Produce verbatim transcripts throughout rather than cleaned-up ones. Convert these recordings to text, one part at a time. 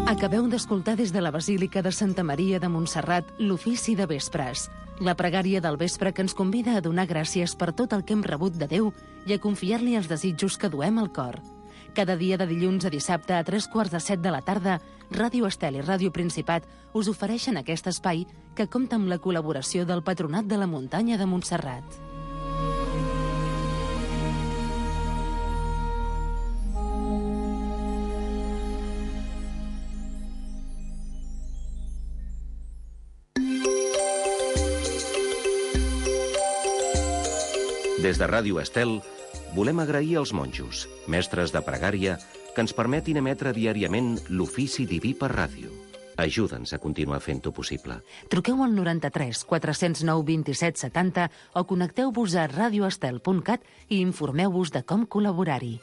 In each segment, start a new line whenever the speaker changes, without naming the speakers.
Acabeu d'escoltar des de la Basílica de Santa Maria de Montserrat l'ofici de vespres, la pregària del vespre que ens convida a donar gràcies per tot el que hem rebut de Déu i a confiar-li els desitjos que duem al cor. Cada dia de dilluns a dissabte a tres quarts de set de la tarda, Ràdio Estel i Ràdio Principat us ofereixen aquest espai que compta amb la col·laboració del Patronat de la Muntanya de Montserrat.
Des de Ràdio Estel, volem agrair als monjos, mestres de pregària, que ens permetin emetre diàriament l'ofici diví per ràdio. Ajuda'ns a continuar fent-ho possible.
Truqueu al noranta-tres quatre cents nou vint-i-set setanta o connecteu-vos a radioestel punt cat i informeu-vos de com col·laborar-hi.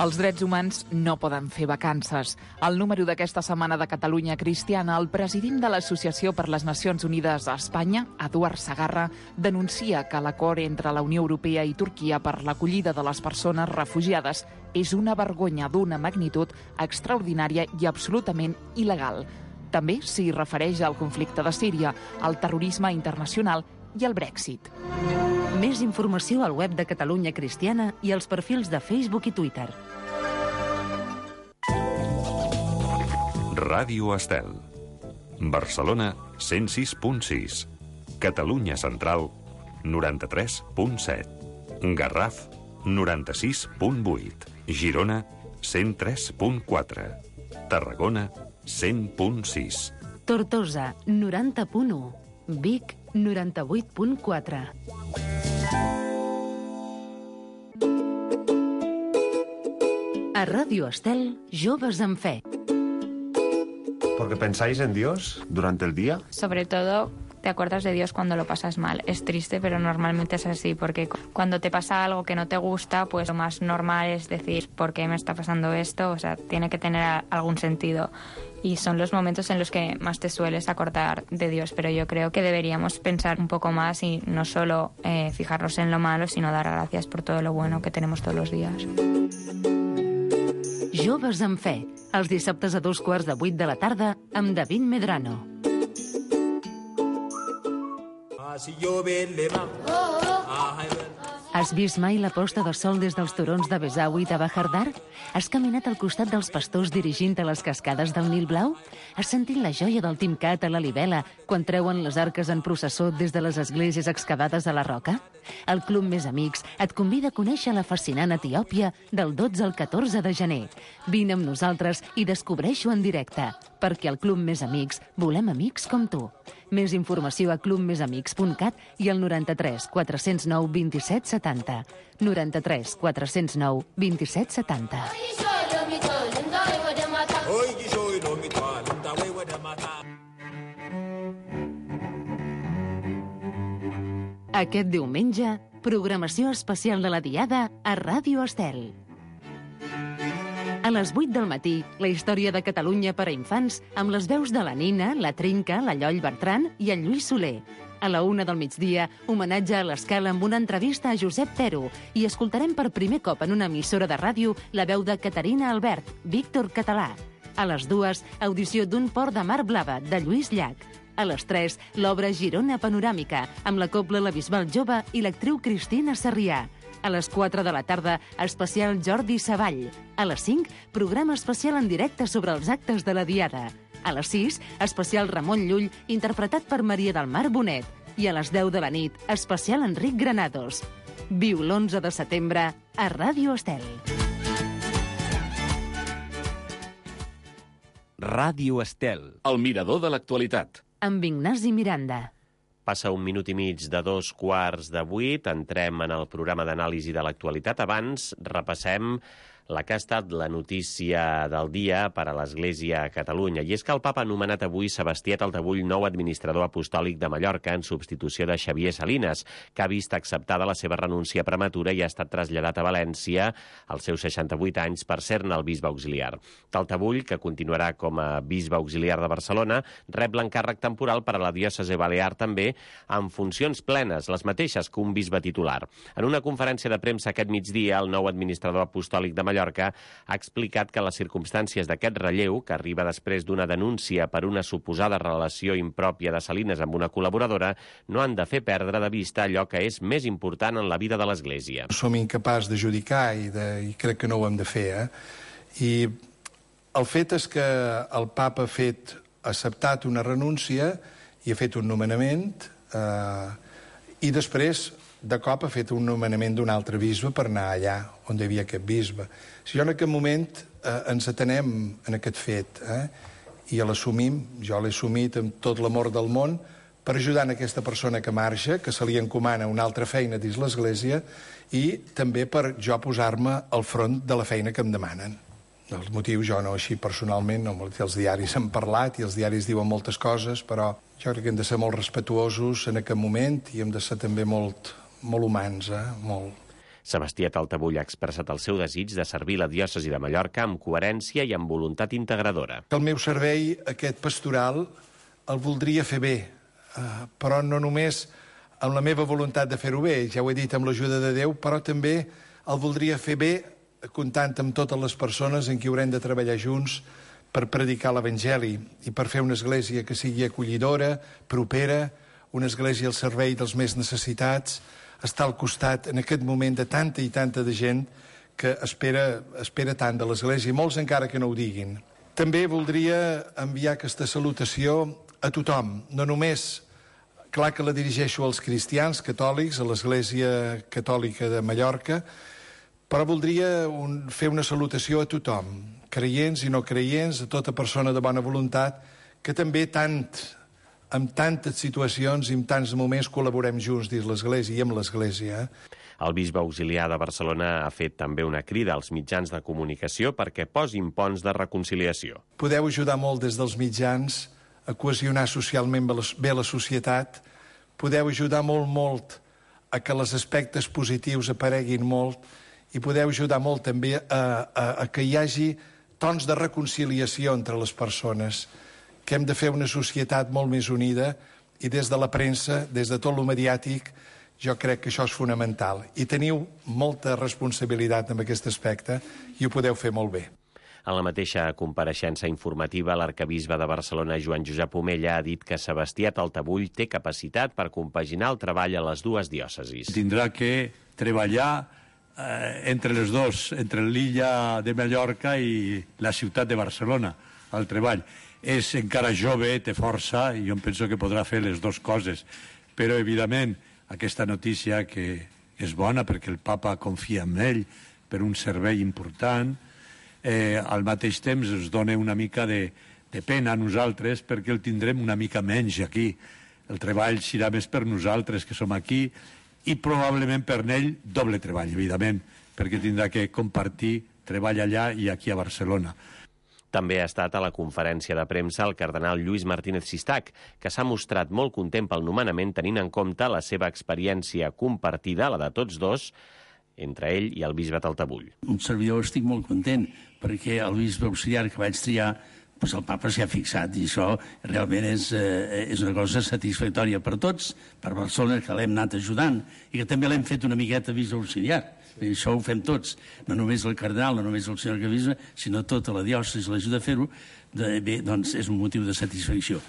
Els drets humans no poden fer vacances. Al número d'aquesta setmana de Catalunya Cristiana, el president de l'Associació per les Nacions Unides a Espanya, Eduard Segarra, denuncia que l'acord entre la Unió Europea i Turquia per l'acollida de les persones refugiades és una vergonya d'una magnitud extraordinària i absolutament il·legal. També s'hi refereix al conflicte de Síria, al terrorisme internacional i al Brexit.
Més informació al web de Catalunya Cristiana i als perfils de Facebook i Twitter.
Ràdio Estel. Barcelona, cent sis punt sis. Catalunya Central, noranta-tres punt set. Garraf, noranta-sis punt vuit. Girona, cent tres punt quatre. Tarragona, cent punt sis.
Tortosa, noranta punt u. Vic, noranta-vuit punt quatre. A Ràdio Estel, Joves en Fe.
¿Porque pensáis en Dios durante el día?
Sobre todo, te acuerdas de Dios cuando lo pasas mal. Es triste, pero normalmente es así, porque cuando te pasa algo que no te gusta, pues lo más normal es decir, ¿por qué me está pasando esto? O sea, tiene que tener algún sentido. Y son los momentos en los que más te sueles acordar de Dios, pero yo creo que deberíamos pensar un poco más y no solo eh, fijarnos en lo malo, sino dar gracias por todo lo bueno que tenemos todos los días.
Joves en Fe, els dissabtes a dos quarts de vuit de la tarda amb David Medrano. Has vist mai la posta de sol des dels turons de Besawi de Bahardar? Has caminat al costat dels pastors dirigint a les cascades del Nil Blau? Has sentit la joia del Timcat a la Libela quan treuen les arques en processó des de les esglésies excavades a la roca? El Club Més Amics et convida a conèixer la fascinant Etiòpia del dotze al catorze de gener. Vine amb nosaltres i descobreix-ho en directe, perquè al Club Més Amics volem amics com tu. Més informació a club més amics punt cat i al noranta-tres quatre cents nou vint-i-set setanta. noranta-tres quatre cents nou vint-i-set setanta. Aquest diumenge, programació especial de la Diada a Ràdio Estel. A les vuit del matí, la història de Catalunya per a infants amb les veus de la Nina, la Trinca, la Lloll Bertran i el Lluís Soler. A la una del migdia, homenatge a l'Escala amb una entrevista a Josep Pero i escoltarem per primer cop en una emissora de ràdio la veu de Caterina Albert, Víctor Català. A les dues, audició d'un port de mar blava, de Lluís Llach. A les tres, l'obra Girona Panoràmica, amb la cobla La Bisbal Jove i l'actriu Cristina Sarrià. A les quatre de la tarda, especial Jordi Savall. A les cinc, programa especial en directe sobre els actes de la Diada. A les sis, especial Ramon Llull, interpretat per Maria del Mar Bonet. I a les deu de la nit, especial Enric Granados. Viu l'onze de setembre a Ràdio Estel.
Ràdio Estel, el mirador de l'actualitat.
Amb Ignasi Miranda.
Passa un minut i mig de dos quarts de vuit, entrem en el programa d'anàlisi de l'actualitat. Abans repassem la que ha estat la notícia del dia per a l'Església a Catalunya. I és que el papa ha nomenat avui Sebastià Taltabull nou administrador apostòlic de Mallorca en substitució de Xavier Salines, que ha vist acceptada la seva renúncia prematura i ha estat traslladat a València als seus seixanta-vuit anys per ser-ne el bisbe auxiliar. Taltabull, que continuarà com a bisbe auxiliar de Barcelona, rep l'encàrrec temporal per a la diòcesi balear també, amb funcions plenes, les mateixes que un bisbe titular. En una conferència de premsa aquest migdia, el nou administrador apostòlic de Mallorca ha explicat que les circumstàncies d'aquest relleu, que arriba després d'una denúncia per una suposada relació impròpia de Salines amb una col·laboradora, no han de fer perdre de vista allò que és més important en la vida de l'Església.
Som incapaços de judicar i, de, i crec que no ho hem de fer. Eh? I el fet és que el papa ha fet, ha acceptat una renúncia i ha fet un nomenament eh, i després de cop ha fet un nomenament d'un altre bisbe per anar allà on hi havia aquest bisbe. Si jo en aquest moment eh, ens atenem en aquest fet eh, i l'assumim, jo l'he assumit amb tot l'amor del món, per ajudar en aquesta persona que marxa, que se li encomana una altra feina dins l'Església, i també per jo posar-me al front de la feina que em demanen. Els motius jo no, així personalment, no, els diaris han parlat i els diaris diuen moltes coses, però jo crec que hem de ser molt respetuosos en aquest moment i hem de ser també molt, molt humans, eh? molt.
Sebastià Taltabull ha expressat el seu desig de servir la diòcesi de Mallorca amb coherència i amb voluntat integradora.
El meu servei, aquest pastoral, el voldria fer bé, eh, però no només amb la meva voluntat de fer-ho bé, ja ho he dit, amb l'ajuda de Déu, però també el voldria fer bé comptant amb totes les persones en qui haurem de treballar junts per predicar l'Evangeli i per fer una església que sigui acollidora, propera, una església al servei dels més necessitats, estar al costat en aquest moment de tanta i tanta de gent que espera, espera tant de l'església, i molts encara que no ho diguin. També voldria enviar aquesta salutació a tothom, no només, clar que la dirigeixo als cristians catòlics, a l'Església Catòlica de Mallorca, però voldria un, fer una salutació a tothom, creients i no creients, a tota persona de bona voluntat, que també tant, en tantes situacions i en tants moments col·laborem junts dins l'Església i amb l'Església.
El bisbe auxiliar de Barcelona ha fet també una crida als mitjans de comunicació perquè posin ponts de reconciliació.
Podeu ajudar molt des dels mitjans a cohesionar socialment bé la societat, podeu ajudar molt, molt a que els aspectes positius apareguin molt, i podeu ajudar molt també a, a, a que hi hagi tons de reconciliació entre les persones, que hem de fer una societat molt més unida, i des de la premsa, des de tot lo mediàtic, jo crec que això és fonamental. I teniu molta responsabilitat en aquest aspecte i ho podeu fer molt bé.
En la mateixa compareixença informativa, l'arcabisbe de Barcelona, Joan Josep Omella, ha dit que Sebastià Taltabull té capacitat per compaginar el treball a les dues diòcesis.
Tindrà que treballar eh, entre les dos, entre l'illa de Mallorca i la ciutat de Barcelona, al treball. És encara jove, té força, i jo penso que podrà fer les dues coses. Però, evidentment, aquesta notícia que és bona perquè el papa confia en ell per un servei important, eh, al mateix temps ens dona una mica de, de pena a nosaltres perquè el tindrem una mica menys aquí. El treball serà més per nosaltres que som aquí i probablement per ell doble treball, evidentment, perquè tindrà que compartir treball allà i aquí a Barcelona.
També ha estat a la conferència de premsa el cardenal Lluís Martínez Sistac, que s'ha mostrat molt content pel nomenament tenint en compte la seva experiència compartida, la de tots dos, entre ell i el bisbe Taltabull.
Un servidor estic molt content, perquè el bisbe auxiliar que vaig triar, doncs el papa s'hi ha fixat, i això realment és, eh, és una cosa satisfactòria per tots, per Barcelona, que l'hem anat ajudant, i que també l'hem fet una miqueta bisbe auxiliar. I això ho fem tots, no només el cardenal, no només el senyor arquebisbe, sinó tota la diòcesi l'ajuda a fer-ho, bé, doncs és un motiu de satisfacció.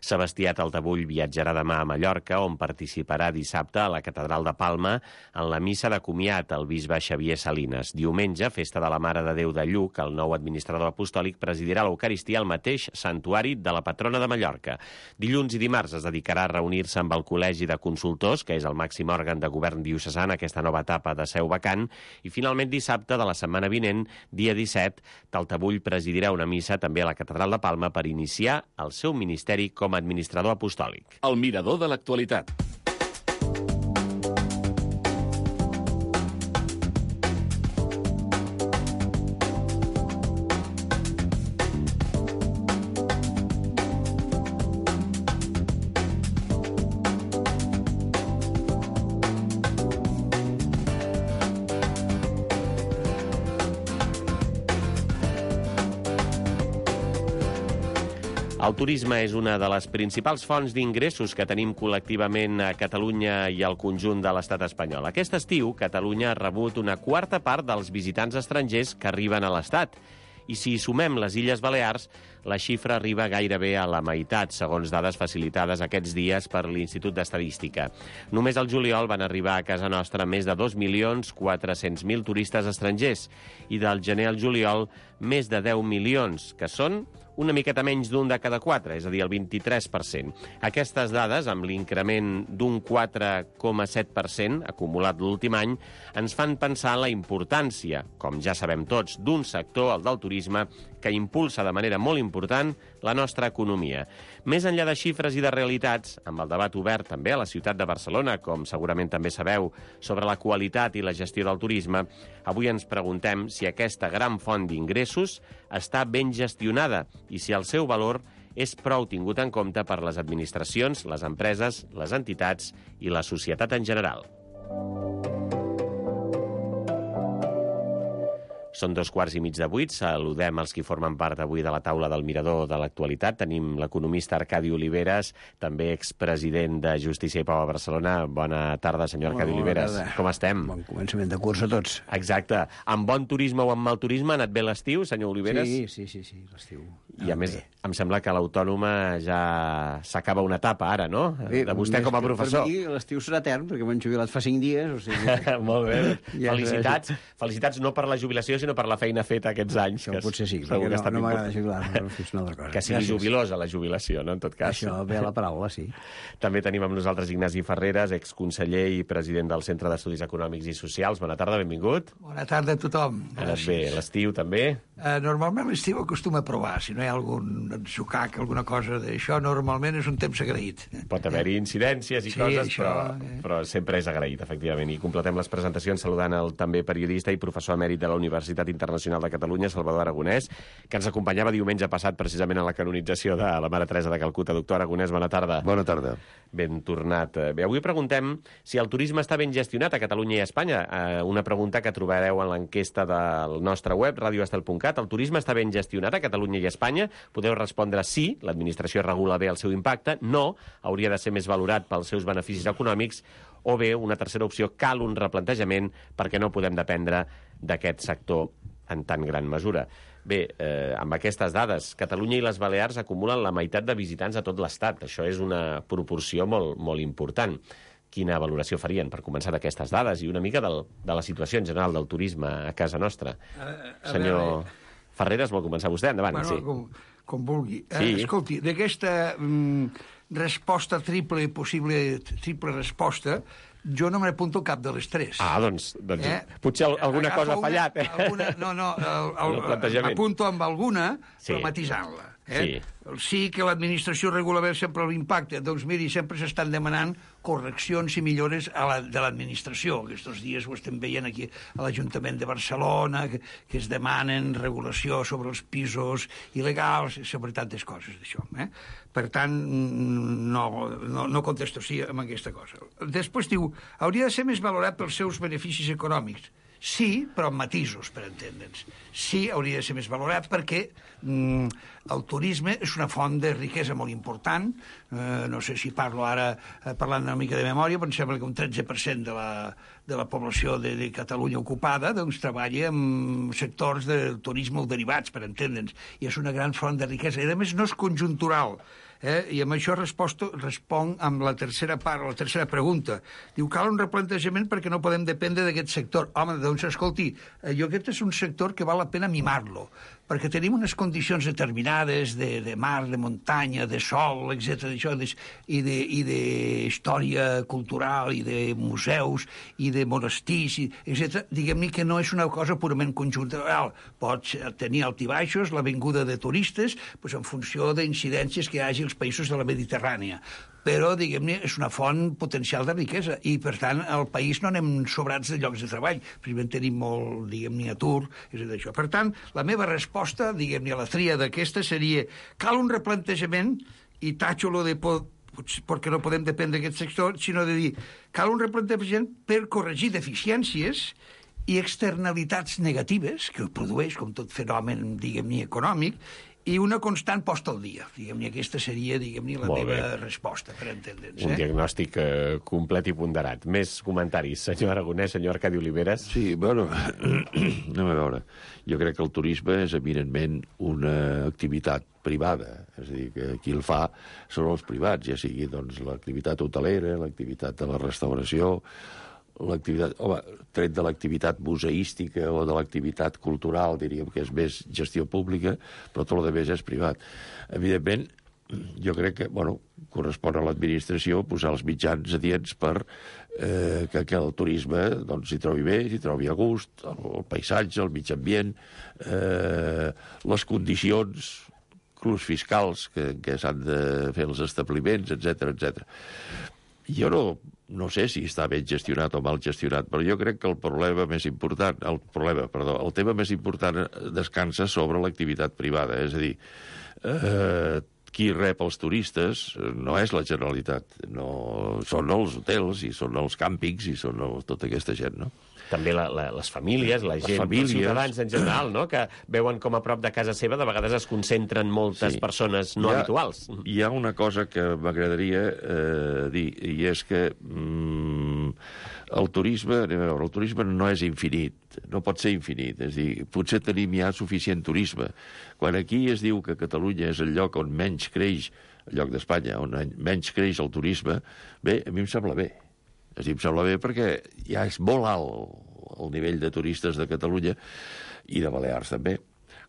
Sebastià Taltabull viatjarà demà a Mallorca, on participarà dissabte a la Catedral de Palma en la missa de comiat al bisbe Xavier Salines. Diumenge, festa de la Mare de Déu de Lluc, el nou administrador apostòlic presidirà l'Eucaristia al mateix santuari de la patrona de Mallorca. Dilluns i dimarts es dedicarà a reunir-se amb el Col·legi de Consultors, que és el màxim òrgan de govern diocesà en aquesta nova etapa de seu vacant, i finalment dissabte de la setmana vinent, dia disset, Taltabull presidirà una missa també a la Catedral de Palma per iniciar el seu ministeri com a administrador apostòlic.
El mirador de l'actualitat.
El turisme és una de les principals fonts d'ingressos que tenim col·lectivament a Catalunya i al conjunt de l'estat espanyol. Aquest estiu, Catalunya ha rebut una quarta part dels visitants estrangers que arriben a l'estat. I si sumem les Illes Balears, la xifra arriba gairebé a la meitat, segons dades facilitades aquests dies per l'Institut d'Estadística. Només al juliol van arribar a casa nostra més de dos milions quatre-cents mil turistes estrangers i del gener al juliol més de deu milions, que són una miqueta menys d'un de cada quatre, és a dir, el vint-i-tres per cent. Aquestes dades, amb l'increment d'un quatre coma set per cent acumulat l'últim any, ens fan pensar en la importància, com ja sabem tots, d'un sector, el del turisme, que impulsa de manera molt important la nostra economia. Més enllà de xifres i de realitats, amb el debat obert també a la ciutat de Barcelona, com segurament també sabeu, sobre la qualitat i la gestió del turisme, avui ens preguntem si aquesta gran font d'ingressos està ben gestionada i si el seu valor és prou tingut en compte per les administracions, les empreses, les entitats i la societat en general. Són dos quarts i mig de vuit. Saludem els qui formen part avui de la taula del Mirador de l'Actualitat. Tenim l'economista Arcadi Oliveres, també expresident de Justícia i Pau a Barcelona. Bona tarda, senyor Arcadi Oliveres. Com estem?
Bon començament de curs a tots.
Exacte. Amb bon turisme o amb mal turisme ha anat bé l'estiu, senyor Oliveres?
Sí, sí, sí, sí l'estiu.
I a més, em sembla que l'Autònoma ja s'acaba una etapa ara, no?
Bé,
de vostè com a professor.
Per mi l'estiu serà etern, perquè m'han jubilat fa cinc dies. O sigui...
Molt bé. Ja felicitats. Felicitats no per la jubilació, sinó per la feina feta aquests anys.
Això potser sí, perquè no, no m'agrada jubilar-me, però és una altra cosa.
Que sigui jubilosa la jubilació, no?, en tot cas.
Això ve a la paraula, sí.
També tenim amb nosaltres Ignasi Ferreres, exconseller i president del Centre d'Estudis Econòmics i Socials. Bona tarda, benvingut.
Bona tarda a tothom.
Ha anat bé. L'estiu també?
Uh, normalment l'estiu acostuma a provar. Si no hi ha algun atzucac, alguna cosa d'això, normalment és un temps agraït.
Pot haver-hi incidències i
sí,
coses,
això,
però,
eh.
però sempre és agraït, efectivament. I completem les presentacions saludant el també periodista i professor emèrit de la Universitat Internacional de Catalunya, Salvador Aragonès, que ens acompanyava diumenge passat precisament a la canonització de la Mare Teresa de Calcuta. Doctor Aragonès, bona tarda.
Bona tarda.
Ben tornat. Bé, avui preguntem si el turisme està ben gestionat a Catalunya i a Espanya. Eh, una pregunta que trobareu en l'enquesta del nostre web, radio estel punt cat. El turisme està ben gestionat a Catalunya i a Espanya? Podeu respondre sí, l'administració regula bé el seu impacte, no, hauria de ser més valorat pels seus beneficis econòmics, o bé, una tercera opció, cal un replantejament perquè no podem dependre d'aquest sector en tan gran mesura. Bé, eh, amb aquestes dades, Catalunya i les Balears acumulen la meitat de visitants a tot l'Estat. Això és una proporció molt, molt important. Quina valoració farien, per començar, d'aquestes dades i una mica del, de la situació en general del turisme a casa nostra?
A, a
Senyor
veure...
Ferreres, vol començar vostè? Endavant,
bueno,
sí.
Com, com vulgui.
Sí.
Eh, escolti, d'aquesta mm, resposta triple, possible triple resposta, jo no m'apunto cap de les tres.
Ah, doncs, doncs
eh?
potser alguna
Agafa
cosa ha fallat.
Una,
eh?
alguna, no, no, m'apunto amb alguna,
sí.
però matisant-la. Eh?
Sí.
Sí que l'administració regula bé sempre l'impacte. Doncs miri, sempre s'estan demanant correccions i millores a la, de l'administració. Aquests dies ho estem veient aquí a l'Ajuntament de Barcelona, que, que es demanen regulació sobre els pisos il·legals, sobre tantes coses d'això. Eh? Per tant, no, no, no contesto sí amb aquesta cosa. Després diu, hauria de ser més valorat pels seus beneficis econòmics. Sí, però amb matisos, per entendre'ns. Sí, hauria de ser més valorat perquè mm, el turisme és una font de riquesa molt important. Eh, no sé si parlo ara eh, parlant una mica de memòria, però em sembla que un tretze per cent de la, de la població de, de Catalunya ocupada doncs, treballa en sectors del turisme o derivats, per entendre'ns. I és una gran font de riquesa. I, a més, no és conjuntural. Eh? I amb això resposto, responc amb la tercera part, la tercera pregunta. Diu, cal un replantejament perquè no podem dependre d'aquest sector. Home, doncs, escolti, eh, jo aquest és un sector que val la pena mimar-lo, perquè tenim unes condicions determinades de, de mar, de muntanya, de sol, etcètera, i d'història cultural, i de museus, i de monestirs, etcètera. Diguem-ne que no és una cosa purament conjuntural. Pots tenir altibaixos, la vinguda de turistes, doncs en funció d'incidències que hi hagi als països de la Mediterrània. Però, diguem-ne, és una font potencial de riquesa i, per tant, al país no anem sobrats de llocs de treball. Precisament tenim molt, diguem-ne, atur, és d'això. Per tant, la meva resposta, diguem-ne, a la tria d'aquesta seria cal un replantejament, i tatxo lo de por, perquè no podem dependre d'aquest sector, sinó de dir cal un replantejament per corregir deficiències i externalitats negatives que produeix, com tot fenomen, diguem-ne, econòmic, i una constant posta al dia. Diguem-ne, aquesta seria, diguem-ne, la
Molt
meva
bé.
resposta, per entendre'ns.
Un
Eh?
diagnòstic eh, complet i ponderat. Més comentaris, senyor Aragonès, senyor Arcadi Oliveres.
Sí, bueno, anem a veure. Jo crec que el turisme és eminentment una activitat privada, és a dir, que qui el fa són els privats, ja sigui doncs, l'activitat hotelera, l'activitat de la restauració, l'activitat, home, tret de l'activitat museística o de l'activitat cultural, diríem que és més gestió pública, però tot el de més és privat. Evidentment, jo crec que, bueno, correspon a l'administració posar els mitjans adients per eh, que, que el turisme doncs, s'hi trobi bé, s'hi trobi a gust, el, el paisatge, el mig ambient, eh, les condicions, inclús fiscals que, que s'han de fer els establiments, etcètera, etcètera. Jo no, no sé si està ben gestionat o mal gestionat, però jo crec que el problema més important, el problema, perdó, el tema més important descansa sobre l'activitat privada, és a dir, eh, qui rep els turistes no és la Generalitat, no, són els hotels i són els càmpings i són el, tota aquesta gent, no?
També la, la, les famílies, la
Les
gent,
famílies.
els ciutadans en general, no? Que veuen com a prop de casa seva de vegades es concentren moltes
Sí.
persones no
Hi ha-
habituals.
Hi ha una cosa que m'agradaria eh, dir, i és que mm, el turisme, anem a veure, el turisme no és infinit, no pot ser infinit, és a dir, potser tenim ja suficient turisme. Quan aquí es diu que Catalunya és el lloc on menys creix, el lloc d'Espanya, on menys creix el turisme, bé, a mi em sembla bé. És a dir, em sembla bé perquè ja és molt alt el nivell de turistes de Catalunya i de Balears també,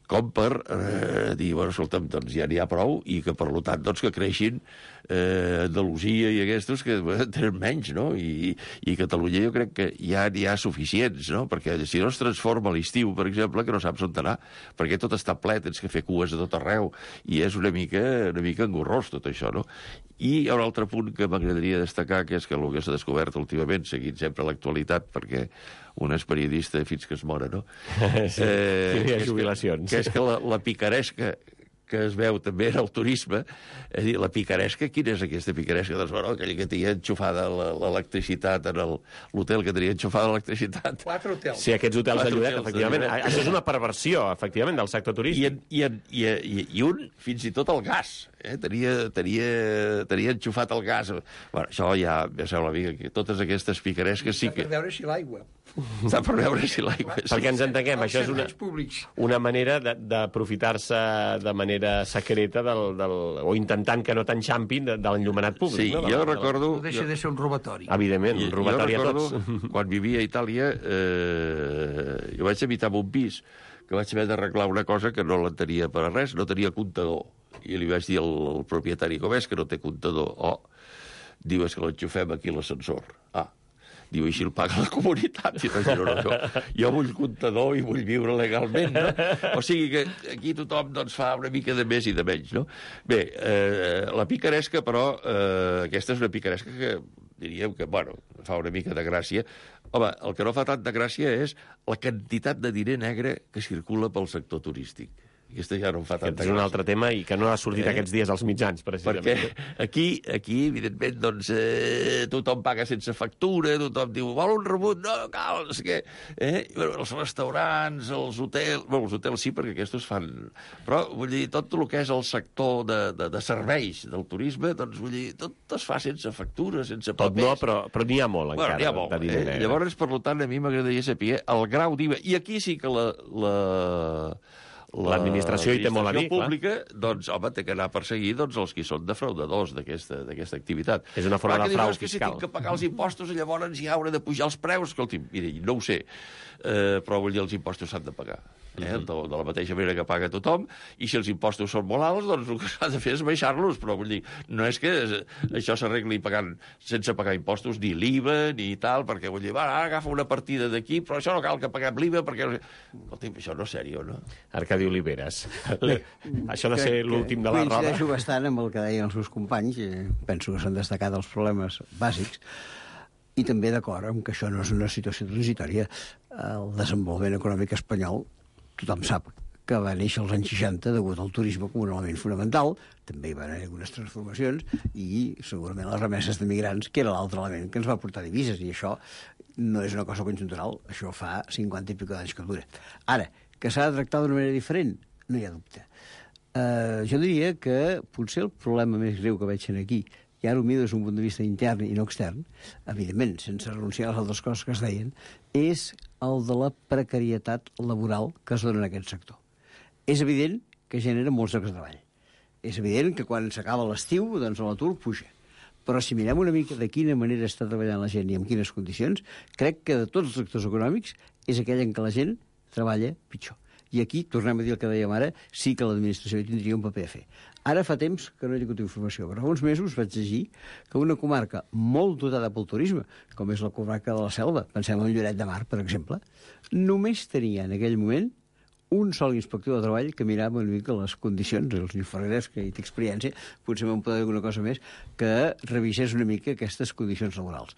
com per eh, dir, bueno, escolta'm, doncs ja n'hi ha prou i que, per tant, doncs, que creixin eh, Andalusia i aquests que eh, tenen menys, no? I, i Catalunya jo crec que ja n'hi ha suficients, no? Perquè si no es transforma l'estiu, per exemple, que no saps on anar, perquè tot està ple, tens que fer cues a tot arreu, i és una mica, una mica engorrós tot això, no? I hi ha un altre punt que m'agradaria destacar, que és que el que s'ha descobert últimament, seguint sempre l'actualitat, perquè un és periodista fins que es mora, no?
Sí,
eh,
hi ha
que és
jubilacions.
Que, que és que la, la picaresca que es veu també en el turisme, és a dir, la picaresca, quina és aquesta picaresca? Doncs, bueno, aquella que tenia enxufada la- l'electricitat en el- l'hotel que tenia enxufada l'electricitat.
Quatre hotels.
Sí, aquests hotels de
Quatre
lloguer,
hotels de
efectivament.
lloguer.
Això és una perversió, efectivament, del sector
I,
turístic.
en, i, en, i, i, i un, fins i tot el gas, eh? tenia, tenia, tenia enxufat el gas. Bueno, això ja, ja sembla a mi que totes aquestes picaresques sí
Per
que...
veure si l'aigua.
Està per veure si l'aigua...
Perquè ens entenguem, això és una,
Els serveis públics.
una manera de- d'aprofitar-se de manera secreta del, del, o intentant que no t'enxampin de, de l'enllumenat públic.
Sí,
no? De
jo
la- de la-
recordo...
No deixa de ser un robatori.
Evidentment, un robatori
jo
a
recordo,
tots.
quan vivia a Itàlia, eh, jo vaig habitar en un pis que vaig haver d'arreglar una cosa que no l'entenia per a res, no tenia comptador. I li vaig dir al, al propietari, com és que no té comptador? Oh, diu, és que l'enxufem aquí a l'ascensor. Ah, diu, així el paga la comunitat. I vaig dir, no, no, jo, jo vull comptador i vull viure legalment, no? O sigui que aquí tothom doncs, fa una mica de més i de menys, no? Bé, eh, la picaresca, però, eh, aquesta és una picaresca que diríem que, bueno, fa una mica de gràcia. Home, el que no fa tant de gràcia és la quantitat de diner negre que circula pel sector turístic. Aquesta ja no em fa tanta
Aquest és un
gràcia.
altre tema i que no ha sortit
Eh?
aquests dies als mitjans, precisament.
Perquè aquí, aquí evidentment, doncs, eh, tothom paga sense factura, tothom diu, vol un rebut? No, cal, no sé què. Eh? I, bueno, els restaurants, els hotels... Bueno, els hotels sí, perquè aquests fan... Però, vull dir, tot el que és el sector de, de, de serveis del turisme, doncs, vull dir, tot es fa sense factura, sense
Tot
papers.
no, però, però n'hi ha molt,
Bueno,
encara,
n'hi ha molt,
de diner
eh?
negre.
Llavors, per tant, a mi m'agradaria saber el grau d'I V A. I aquí sí que la... la
L'administració hi té molt a dir, clar.
pública, doncs, home, té que anar a perseguir doncs, els que són defraudadors d'aquesta d'aquesta activitat.
És una forma
Clar,
de
que dius,
frau
és que
fiscal.
si tinc que pagar els impostos, llavors ja hauré de pujar els preus. Escolti, miri, no ho sé, eh, però vull dir, els impostos s'han de pagar. Eh?
Mhm.
de, de la mateixa manera que paga tothom, i si els impostos són molt alts, doncs el que s'ha de fer és baixar-los, però vull dir, no és que això s'arregli pagant, sense pagar impostos, ni l'I V A, ni tal, perquè vull dir, va, ara agafa una partida d'aquí, però això no cal que paguem l'I V A, perquè... Escolti, això no és sèrio, no?
Arcadi Oliveres. Això no sé l'últim de la roda.
Coincideixo bastant amb el que deien els seus companys, eh, penso que s'han destacat els problemes bàsics, i també d'acord amb que això no és una situació transitòria. El desenvolupament econòmic espanyol, tothom sap que va néixer als anys seixanta degut al turisme com un element fonamental, també hi van haver algunes transformacions, i segurament les remesses de migrants, que era l'altre element que ens va portar divises, i això no és una cosa conjuntural, això fa cinquanta i pico d'anys que dura. Ara, que s'ha de tractar d'una manera diferent, no hi ha dubte. Uh, jo diria que potser el problema més greu que veig aquí, i ara ho miro des d'un punt de vista intern i no extern, evidentment, sense renunciar a les altres coses que es deien, és el de la precarietat laboral que es dona en aquest sector. És evident que genera molts llocs de treball. És evident que quan s'acaba l'estiu, doncs l'atur puja. Però si mirem una mica de quina manera està treballant la gent i en quines condicions, crec que de tots els sectors econòmics és aquell en què la gent treballa pitjor. I aquí, tornem a dir el que dèiem ara, sí que l'administració hi tindria un paper a fer. Ara fa temps que no he tingut informació, però fa uns mesos vaig llegir que una comarca molt dotada pel turisme, com és la comarca de la Selva, pensem en Lloret de Mar, per exemple, només tenia en aquell moment un sol inspector de treball que mirava una mica les condicions, el senyor Ferreres, que hi té experiència, potser me'n podrà dir alguna cosa més, que revisés una mica aquestes condicions laborals.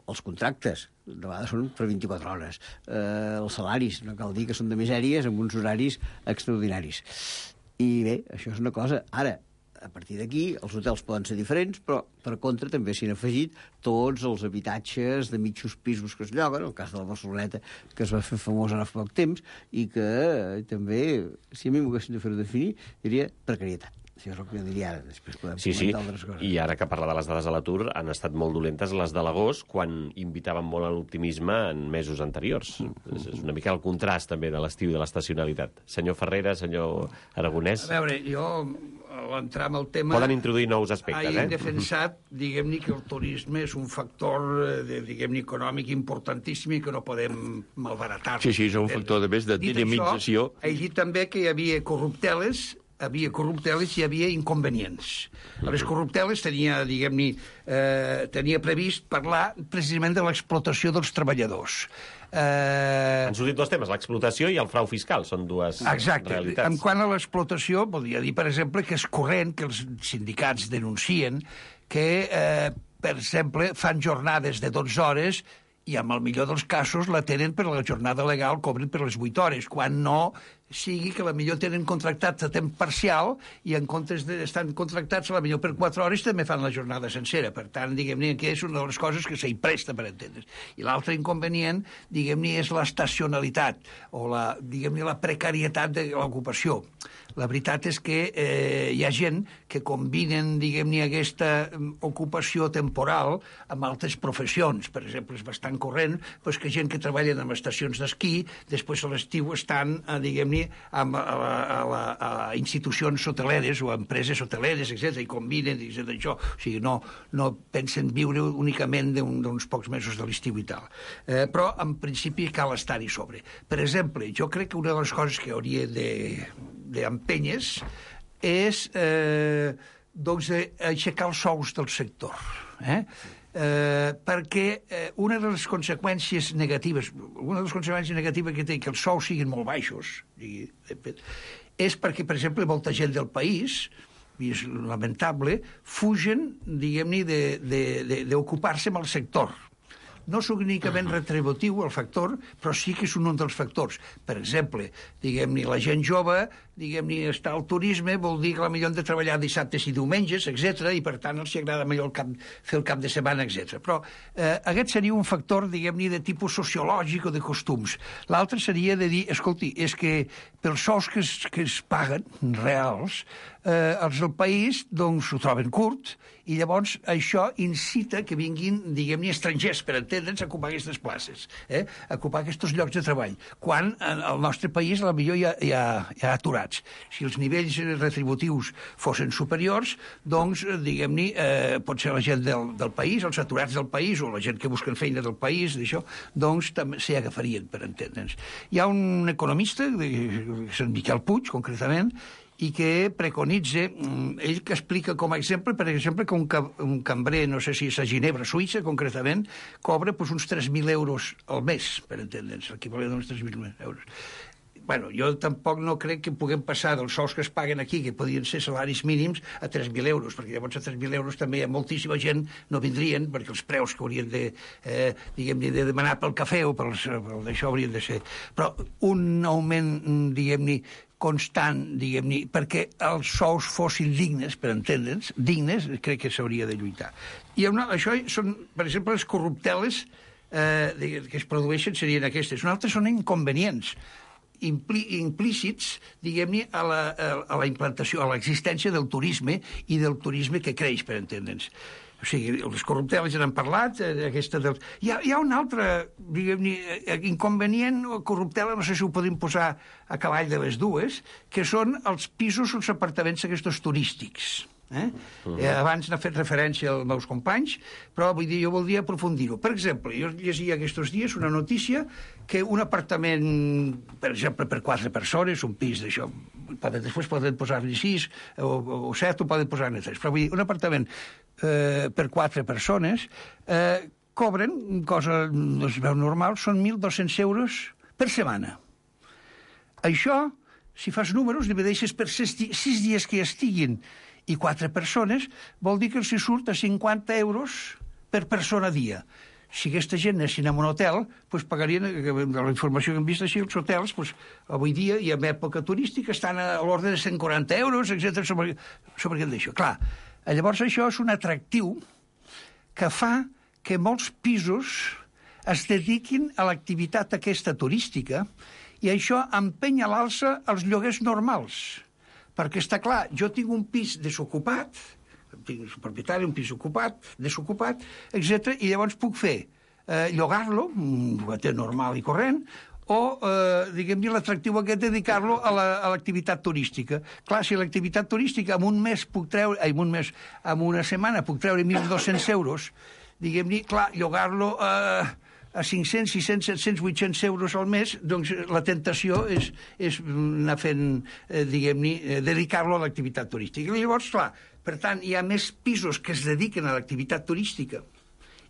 Els contractes, de vegades són per vint-i-quatre hores. Eh, els salaris, no cal dir que són de misèries, amb uns horaris extraordinaris. I bé, això és una cosa. Ara, a partir d'aquí, els hotels poden ser diferents, però per contra també s'hi han afegit tots els habitatges de mitjos pisos que es lloguen, el cas de la Barceloneta, que es va fer famós ara fa poc temps, i que eh, també, si a mi m'ho haguessin de fer definir, diria precarietat. Això és el que jo diria ara, després podem
sí,
comentar
sí.
altres coses.
I ara que parla de les dades de l'atur, han estat molt dolentes les de l'agost, quan invitaven molt a l'optimisme en mesos anteriors. Mm. És una mica el contrast, també, de l'estiu i de l'estacionalitat. Senyor Ferrera, senyor Aragonès...
A veure, jo, a l'entrar en el tema...
Poden introduir nous aspectes,
eh?
He
defensat, diguem-ne, que el turisme és un factor, de, diguem-ne, econòmic importantíssim i que no podem malbaratar.
Sí, sí, és un factor, de més, de dinamització.
Dit això, he dit també que hi havia corrupteles, havia corrupteles i hi havia inconvenients. A les corrupteles tenia, diguem-ne, eh, tenia previst parlar precisament de l'explotació dels treballadors.
Eh... Han sortit dos temes, l'explotació i el frau fiscal, són dues
Exacte.
realitats.
En quant a l'explotació, volia dir, per exemple, que és corrent que els sindicats denuncien que, eh, per exemple, fan jornades de dotze hores i, en el millor dels casos, la tenen per la jornada legal, cobren per les vuit hores, quan no sigui que la millor tenen contractats a temps parcial i en comptes d'estar contractats a la millor per quatre hores també fan la jornada sencera. Per tant, diguem-ne que és una de les coses que s'hi presta per entendre's. I l'altre inconvenient, diguem-ne, és l'estacionalitat o la, diguem-ne, la precarietat de l'ocupació. La veritat és que eh, hi ha gent que combinen, diguem-ne, aquesta ocupació temporal amb altres professions. Per exemple, és bastant corrent doncs, que gent que treballa en estacions d'esquí, després a l'estiu estan, eh, diguem-ne, amb a, a, a, a institucions hoteleres o a empreses hoteleres, etcètera, i combinen, etcètera, això. O sigui, no, no pensen viure únicament d'uns un, pocs mesos de l'estiu i tal. Eh, però, en principi, cal estar-hi sobre. Per exemple, jo crec que una de les coses que hauria de d'empenyes és eh, doncs, aixecar els sous del sector. Eh? Eh, perquè eh, una de les conseqüències negatives, una de les conseqüències negatives que té que els sous siguin molt baixos, és perquè, per exemple, molta gent del país, i és lamentable, fugen, diguem-ne, d'ocupar-se amb el sector. No és únicament retributiu el factor, però sí que és un dels factors. Per exemple, diguem-ne, la gent jove, diguem-ne, està al turisme, vol dir que potser han de treballar dissabtes i diumenges, etcètera, i per tant els agrada millor el cap, fer el cap de setmana, etcètera. Però eh, aquest seria un factor, diguem-ne, de tipus sociològic o de costums. L'altre seria de dir, escolti, és que pels sous que es, que es paguen, reals, eh, els del país, doncs, ho troben curt, i llavors això incita que vinguin, diguem-ne, estrangers, per entendre'ns, a ocupar aquestes places, eh? a ocupar aquests llocs de treball, quan al nostre país potser hi ha, hi ha, hi ha aturats. Si els nivells retributius fossin superiors, doncs, diguem-ne, eh, pot ser la gent del, del país, els aturats del país, o la gent que busquen feina del país, d'això, doncs també s'hi agafarien, per entendre'ns. Hi ha un economista, Sant Miquel Puig, concretament, i que preconitza, ell que explica com a exemple, per exemple, que un, un cambrer, no sé si és a Ginebra, Suïssa, concretament, cobra pues, uns tres mil euros al mes, per entendre'ns, l'equivalent d'uns tres mil euros. Bueno, jo tampoc no crec que puguem passar dels sous que es paguen aquí, que podien ser salaris mínims, a tres mil euros, perquè llavors a tres mil euros també hi ha moltíssima gent no vindrien, perquè els preus que haurien de, eh, diguem-ne, de demanar pel cafè o per això haurien de ser. Però un augment, diguem-ne, constant, diguem-ne, perquè els sous fossin dignes, per entendre'ns, dignes, crec que s'hauria de lluitar. I una, això són, per exemple, les corrupteles eh, que es produeixen serien aquestes. Un altre són inconvenients. implícits, diguem-ne, a, la, a la implantació, a l'existència del turisme i del turisme que creix, per entendre'ns. O sigui, les corrupteles ja n'han parlat, aquesta del... Hi ha, hi ha un altre, diguem-ne, inconvenient o corruptela, no sé si ho podem posar a cavall de les dues, que són els pisos o els apartaments aquests turístics. Eh? Uh-huh. eh, abans n'ha fet referència als meus companys, però vull dir, jo voldria aprofundir-ho. Per exemple, jo llegia aquests dies una notícia que un apartament, per exemple, per quatre persones, un pis d'això, després poden posar-li sis o, o set, o poden posar-ne tres, però vull dir, un apartament eh, per quatre persones eh, cobren, cosa no es veu normal, són mil dos-cents euros per setmana. Això, si fas números, divideixes per sis, sis dies que hi estiguin i quatre persones, vol dir que els surt a cinquanta euros per persona a dia. Si aquesta gent anessin a un hotel, doncs pagarien, de la informació que hem vist així, els hotels, doncs, avui dia, i en època turística, estan a l'ordre de cent quaranta euros, etcètera sobre, sobre aquest d'això. Clar, llavors això és un atractiu que fa que molts pisos es dediquin a l'activitat aquesta turística i això empenya a l'alça els lloguers normals. Perquè està clar, jo tinc un pis desocupat, tinc un propietari, un pis ocupat, desocupat, etcètera, i llavors puc fer eh, llogar-lo, un llogater normal i corrent, o, eh, diguem-ne, l'atractiu aquest, dedicar-lo a l'activitat la, turística. Clar, si l'activitat turística en un mes puc treure, en un mes, en una setmana puc treure mil dos-cents euros, diguem-ne, clar, llogar-lo eh, a cinc-cents, sis-cents, set-cents, vuit-cents euros al mes, doncs la tentació és, és anar fent, eh, diguem-ne, eh, dedicar-lo a l'activitat turística. I llavors, clar, per tant, hi ha més pisos que es dediquen a l'activitat turística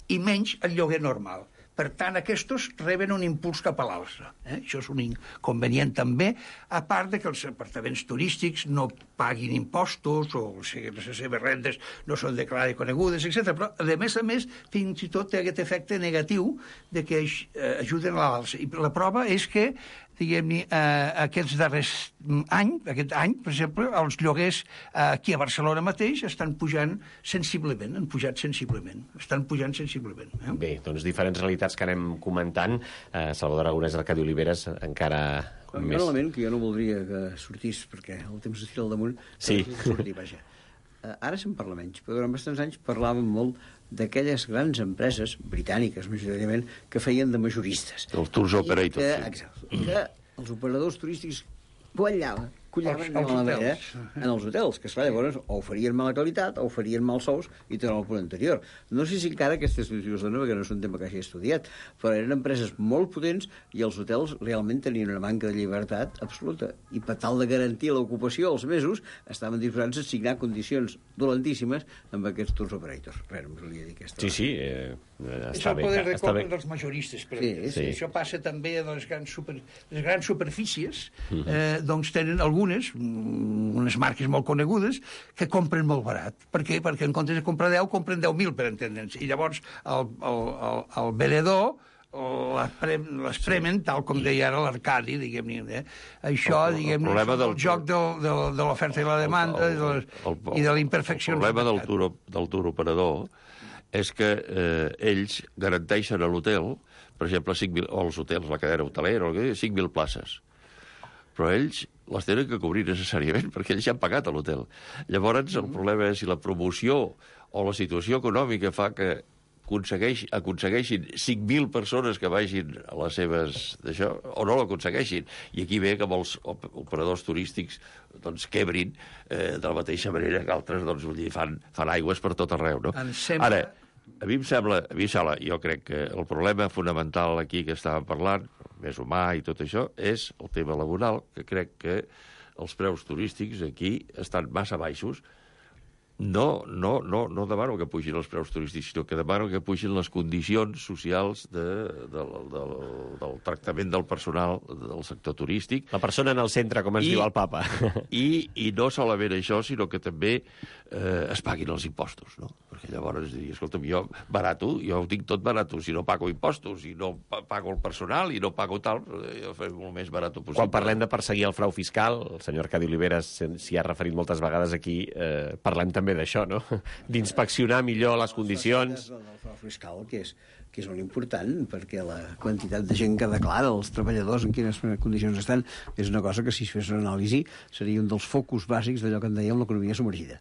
i menys al lloguer normal. Per tant, aquests reben un impuls cap a l'alça. Eh? Això és un inconvenient també, a part de que els apartaments turístics no paguin impostos o les seves rendes no són declarades i conegudes, etcètera. Però, a més a més, fins i tot té aquest efecte negatiu de que ajuden a l'alça. I la prova és que, diguem-ne, eh, aquests darrers anys, aquest any, per exemple, els lloguers eh, aquí a Barcelona mateix estan pujant sensiblement, han pujat sensiblement, estan pujant sensiblement. Eh?
Bé, doncs diferents realitats que anem comentant. Eh, Salvador Aragonès, Arcadi Oliveres, encara
un
més...
Un element que jo no voldria que sortís, perquè el temps es tira al damunt,
sí.
sortir, vaja. Uh, ara se'n parla menys, però durant bastants anys parlàvem molt d'aquelles grans empreses, britàniques majoritàriament, que feien de majoristes.
Els tours operators.
Que, exacte, que els operadors turístics guanyaven, cullaven de mala manera en els hotels, que esclar, llavors o oferien mala qualitat o oferien mals sous i tornava al punt anterior. No sé si encara aquesta situació es dona, perquè no és un tema que hagi estudiat, però eren empreses molt potents i els hotels realment tenien una manca de llibertat absoluta. I per tal de garantir l'ocupació als mesos, estaven disposats a signar condicions dolentíssimes amb aquests tours operators. Res, no volia dir aquesta...
Sí, sí, eh,
està bé. És el poder record dels majoristes, però
sí,
sí. Això passa també a les grans, super, les grans superfícies, eh, doncs tenen algunes, unes marques molt conegudes, que compren molt barat. Per què? Perquè en comptes de comprar deu, compren deu mil, per entendre'ns. I llavors el, el, el, el venedor les premen, tal com deia ara l'Arcadi, diguem-ne. Eh? Això, diguem-ne, és el, el joc del, del, de l'oferta i la demanda el, el, el, el, i de l'imperfecció.
El problema del tour, del tour operador és que eh, ells garanteixen a l'hotel, per exemple, cinc mil, o els hotels, la cadena hotelera, cinc mil places. Però ells les tenen que cobrir necessàriament, perquè ells ja han pagat a l'hotel. Llavors, el problema és si la promoció o la situació econòmica fa que aconsegueix, aconsegueixin cinc mil persones que vagin a les seves d'això, o no l'aconsegueixin. I aquí ve que molts operadors turístics doncs, quebrin eh, de la mateixa manera que altres doncs, vull dir, fan, fan aigües per tot arreu. No?
Sembla...
Ara, a mi em sembla, a mi em sembla, jo crec que el problema fonamental aquí que estàvem parlant, més humà i tot això, és el tema laboral, que crec que els preus turístics aquí estan massa baixos. No, no, no, no demano que pugin els preus turístics, sinó que demano que pugin les condicions socials de, de, de, del tractament del personal del sector turístic.
La persona en el centre, com ens I, diu el papa.
I, I no solament això, sinó que també eh, es paguin els impostos, no? Perquè llavors diria, escolta'm, jo barato, jo ho tinc tot barato, si no pago impostos, i no pago el personal, i no pago tal, jo faré molt més barato possible.
Quan parlem de perseguir el frau fiscal, el senyor Arcadi Oliveres s'hi ha referit moltes vegades aquí, eh, parlem també d'això, no? D'inspeccionar millor les condicions.
El frau fiscal, que és, que és molt important, perquè la quantitat de gent que declara, els treballadors en quines condicions estan, és una cosa que, si es fes una anàlisi, seria un dels focus bàsics d'allò que en dèiem l'economia submergida.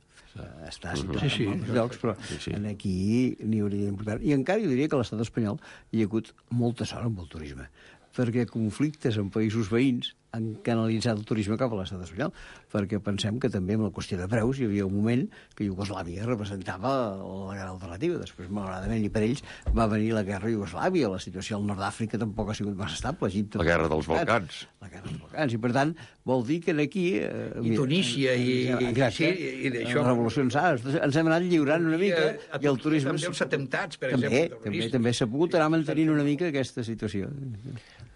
Està situat sí, sí. en molts llocs, però sí, sí. aquí n'hi hauria d'importar. I encara jo diria que a l'estat espanyol hi ha hagut molta sort amb el turisme, perquè conflictes en països veïns han canalitzat el turisme cap a l'estat espanyol, perquè pensem que també amb la qüestió de preus hi havia un moment que Iugoslàvia representava la gran alternativa. Després, malauradament, i per ells, va venir la guerra a Iugoslàvia. La situació al nord d'Àfrica tampoc ha sigut massa estable. Egipte,
la guerra dels Balcans.
La guerra dels Balcans. I, per tant, vol dir que aquí... Eh,
I Tunísia i...
Exacte.
I, i d'això...
Les revolucions àrabs. Ens hem anat lliurant una mica
a, a
i el turisme...
També els atemptats, per
també,
exemple.
També, també s'ha pogut anar mantenint una mica aquesta situació.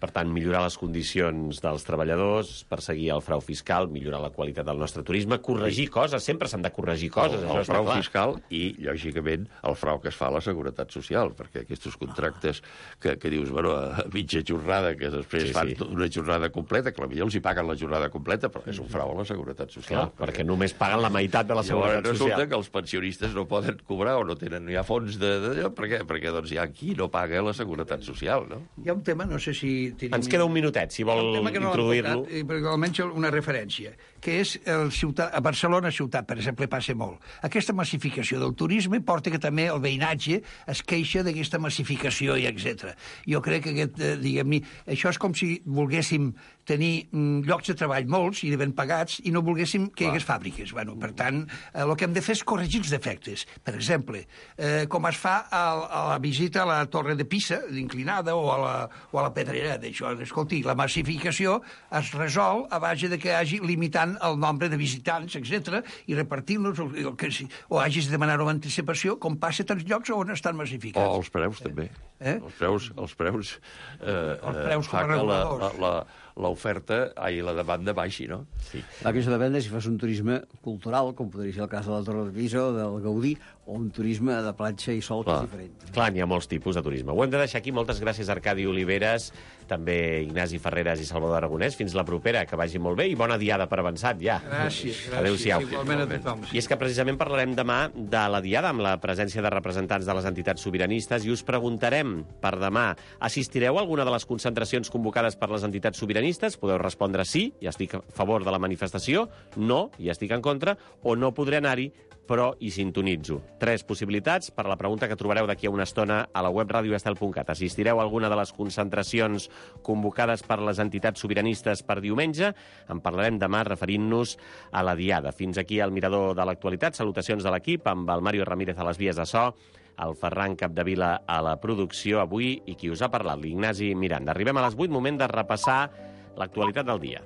Per tant, millorar les condicions dels treballadors, perseguir el frau fiscal, millorar la qualitat del nostre turisme, corregir coses, sempre s'han de corregir coses.
El, el frau fiscal i, lògicament, el frau que es fa a la Seguretat Social, perquè aquests contractes que, que dius, bueno, a mitja jornada, que després sí, fan sí. una jornada completa, que potser els hi paguen la jornada completa, però és un frau a la Seguretat Social.
Clar, perquè, perquè només paguen la meitat de la Seguretat
Social.
Social.
Resulta que els pensionistes no poden cobrar o no tenen, no hi ha fons de... de per què? Perquè doncs, hi ha qui no paga la Seguretat Social, no?
Hi ha un tema, no sé si...
Ens queda un minutet, si vol introduir-lo.
Perquè almenys una referència, que és el ciutat, a Barcelona ciutat, per exemple, passa molt. Aquesta massificació del turisme porta que també el veïnatge es queixa d'aquesta massificació i etcètera. Jo crec que aquest, eh, diguem-ne, això és com si volguéssim tenir mm, llocs de treball molts i ben pagats i no volguéssim que hi hagués fàbriques. Bueno, per tant, eh, el que hem de fer és corregir els defectes. Per exemple, eh, com es fa a, a la visita a la Torre de Pisa, d'inclinada, o a la, o a la Pedrera, d'això. Escolti, la massificació es resol a base de que hagi limitant el nombre de visitants, etcètera, i repartint-los, o, o hagis de demanar una anticipació, com passa a tants llocs on estan massificats.
O els preus, també. Eh? Els preus, els preus, eh,
els preus
fa que la, la, la, l'oferta, ai, la demanda baixi, no?
Sí. La queixa depèn de si fas un turisme cultural, com podria ser el cas de la Torre de Pisa o del Gaudí, o un turisme de platja i sol, que és diferent.
Clar, n'hi ha molts tipus de turisme. Ho hem de deixar aquí. Moltes gràcies, Arcadi Oliveres, també Ignasi Ferreres i Salvador Aragonès. Fins la propera, que vagi molt bé i bona diada per avançat, ja.
Gràcies, gràcies.
Adéu-siau.
Igualment a tothom.
I és que precisament parlarem demà de la diada, amb la presència de representants de les entitats sobiranistes, i us preguntarem per demà, assistireu a alguna de les concentracions convocades per les entitats sobiranistes? Podeu respondre sí, ja estic a favor de la manifestació, no, ja estic en contra, o no podré anar-hi, però hi sintonitzo. Tres possibilitats per a la pregunta que trobareu d'aquí a una estona a la web radio estel punt cat. Assistireu a alguna de les concentracions convocades per les entitats sobiranistes per diumenge? En parlarem demà referint-nos a la diada. Fins aquí el Mirador de l'Actualitat. Salutacions de l'equip, amb el Mario Ramírez a les vies de so, el Ferran Capdevila a la producció avui i qui us ha parlat, l'Ignasi Miranda. Arribem a les vuit, moment de repassar l'actualitat del dia.